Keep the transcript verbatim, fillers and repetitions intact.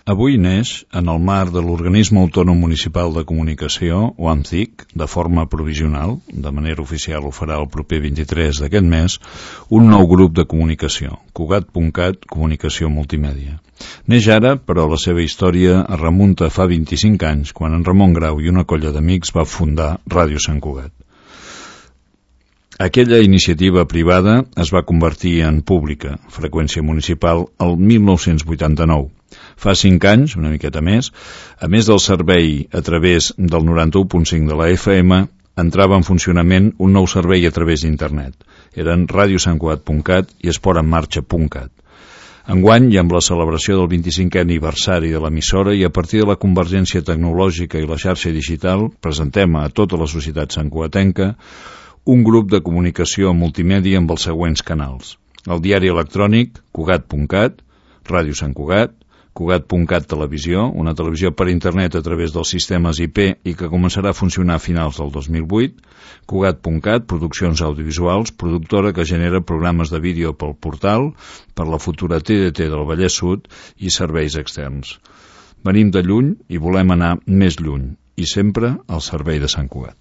Avui neix, en el marc de l'Organisme Autònom Municipal de Comunicació, o AMCIC, de forma provisional, de manera oficial ho farà el proper vint-i-tres d'aquest mes, un nou grup de comunicació, Cugat.cat Comunicació Multimèdia. Neix ara, però la seva història es remunta fa vint-i-cinc anys, quan en Ramon Grau i una colla d'amics va fundar Ràdio Sant Cugat. Aquella iniciativa privada es va convertir en pública, freqüència municipal, el mil nou-cents vuitanta-nou. Fa cinc anys, una miqueta més, a més del servei a través del noranta-u punt cinc de la F M, entrava en funcionament un nou servei a través d'internet. Eren ràdio sant cugat punt cat i esport en marxa punt cat. Enguany, i amb la celebració del vint-i-cinquè aniversari de l'emissora i a partir de la convergència tecnològica i la xarxa digital, presentem a tota la societat santcugatenca un grup de comunicació multimèdia amb els següents canals. El diari electrònic, cugat punt cat, Ràdio Sant Cugat, Cugat punt cat Televisió, una televisió per internet a través dels sistemes I P i que començarà a funcionar a finals del dos mil vuit, Cugat punt cat, produccions audiovisuals, productora que genera programes de vídeo pel portal, per la futura T D T del Vallès Sud i serveis externs. Venim de lluny i volem anar més lluny, i sempre al servei de Sant Cugat.